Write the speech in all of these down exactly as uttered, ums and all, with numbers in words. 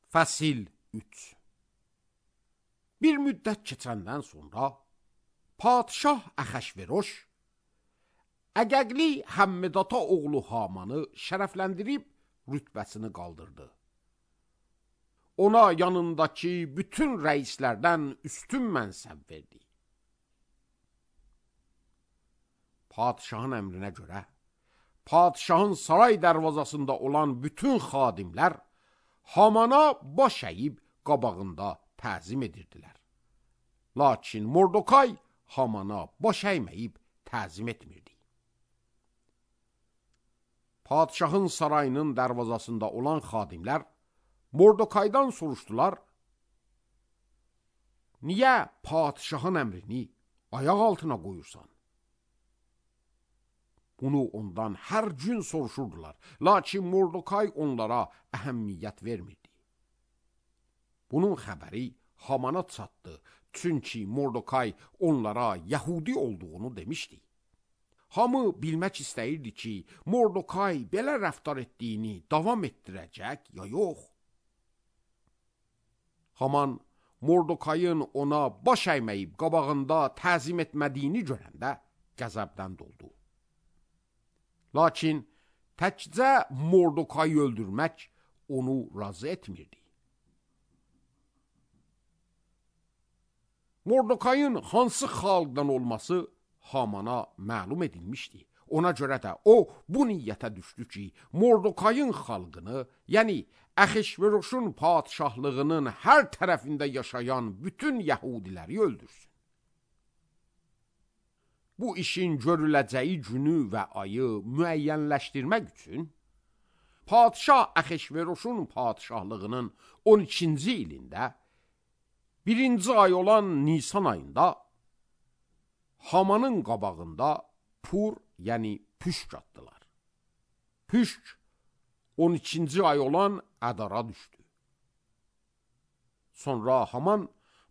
Fəsil üç. Bir müddət keçəndən sonra Padişah Əxəşveroş Əqəqli Həmmedata oğlu Hamanı şərəfləndirib rütbəsini qaldırdı. Ona yanındakı bütün rəislərdən üstün mənsəb verdi. Padişahın əmrinə görə Padişahın saray dərvazasında olan bütün xadimlər Hamana baş əyib qabağında təzim edirdilər. Lakin Mordokay Hamana baş əyməyib təzim etmirdi. Padişahın sarayının dərvazasında olan xadimlər Mordokaydan soruşdular: Niyə padişahın əmrini ayaq altına qoyursan? Bunu ondan hər gün soruşurdular. Lakin Mordokay onlara əhəmiyyət vermirdi. Bunun xəbəri Hamana çatdı. Çünki Mordokay onlara Yəhudi olduğunu demişdi. Hamı bilmək istəyirdi ki, Mordokay belə rəftar etdiyini davam etdirəcək ya yox. Haman Mordokayın ona baş əyməyib qabağında təzim etmədiyini görəndə qəzəbdən doldu. Lakin təkcə Mordokayı öldürmək onu razı etmirdi. Mordokayın hansı xalqdan olması Hamana məlum edilmişdi. Ona görə də o bu niyyətə düşdü ki, Mordokayın xalqını, yəni Əxəşveroşun padişahlığının hər tərəfində yaşayan bütün Yəhudiləri öldürsün. Bu işin görüləcəyi günü və ayı müəyyənləşdirmək üçün Padişah Əxəşveroşun padişahlığının on ikinci ilində birinci ay olan Nisan ayında Hamanın qabağında Pur, yəni püşk atdılar. Püşk on ikinci ay olan Ədara düşdü. Sonra Haman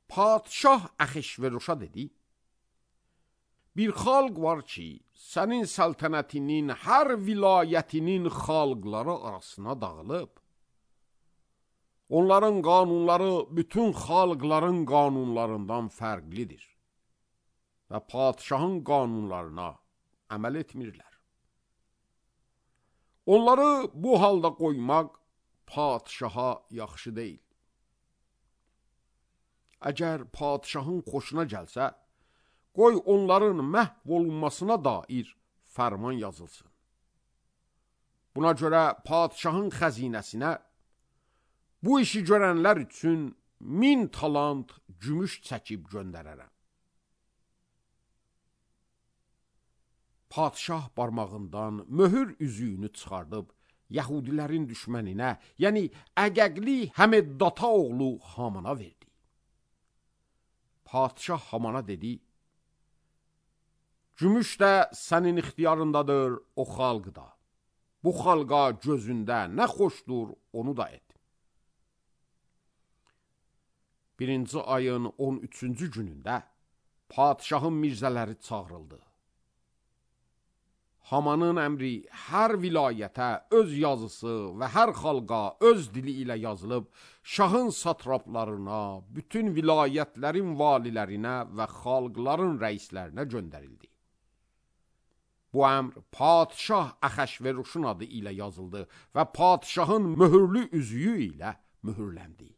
Padişah Əxəşveroşa dedi: Bir xalq var ki, sənin səltənətinin hər vilayətinin xalqları arasına dağılıb. Onların qanunları bütün xalqların qanunlarından fərqlidir və padişahın qanunlarına əməl etmirlər. Onları bu halda qoymaq padişaha yaxşı deyil. Əgər padişahın xoşuna gəlsə, qoy onların məhv olunmasına dair fərman yazılsın. Buna görə padişahın xəzinəsinə bu işi görənlər üçün min talant gümüş çəkib göndərərəm. Padişah barmağından möhür üzüyünü çıxardıb Yəhudilərin düşməninə, yəni Əqəqli Həmmedata oğlu Hamana verdi. Padişah Hamana dedi: Gümüş də sənin ixtiyarındadır, o xalq da. Bu xalqa gözündə nə xoşdur, onu da et. Birinci ayın on üçüncü günündə padişahın mirzələri çağırıldı. Hamanın əmri hər vilayətə öz yazısı və hər xalqa öz dili ilə yazılıb, şahın satraplarına, bütün vilayətlərin valilərinə və xalqların rəislərinə göndərildi. Bu əmr Padişah Əxəşveroşun adı ilə yazıldı və padişahın möhürlü üzüyü ilə möhürləndi.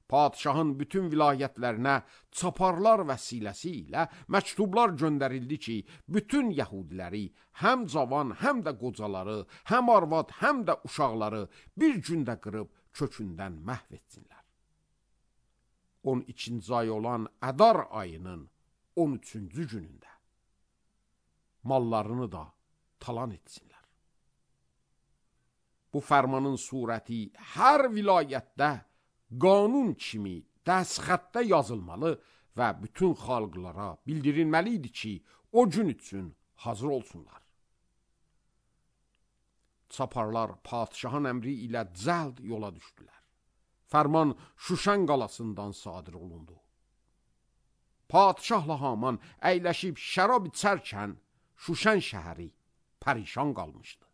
Padişahın bütün vilayətlərinə çaparlar vəsiləsi ilə məktublar göndərildi ki, bütün Yəhudiləri, həm cavan, həm də qocaları, həm arvad, həm də uşaqları bir gündə qırıb kökündən məhv etsinlər. on ikinci ay olan Ədar ayının on üçüncü günündə mallarını da talan etsinlər. Bu fərmanın surəti hər vilayətdə qanun kimi dəstxətdə yazılmalı və bütün xalqlara bildirilməli idi ki, o gün üçün hazır olsunlar. Çaparlar padişahın əmri ilə cəld yola düşdülər. Fərman Şuşan qalasından sadir olundu. Padişahla Haman əyləşib şərab içərkən Şuşan şəhəri pərişan qalmışdı.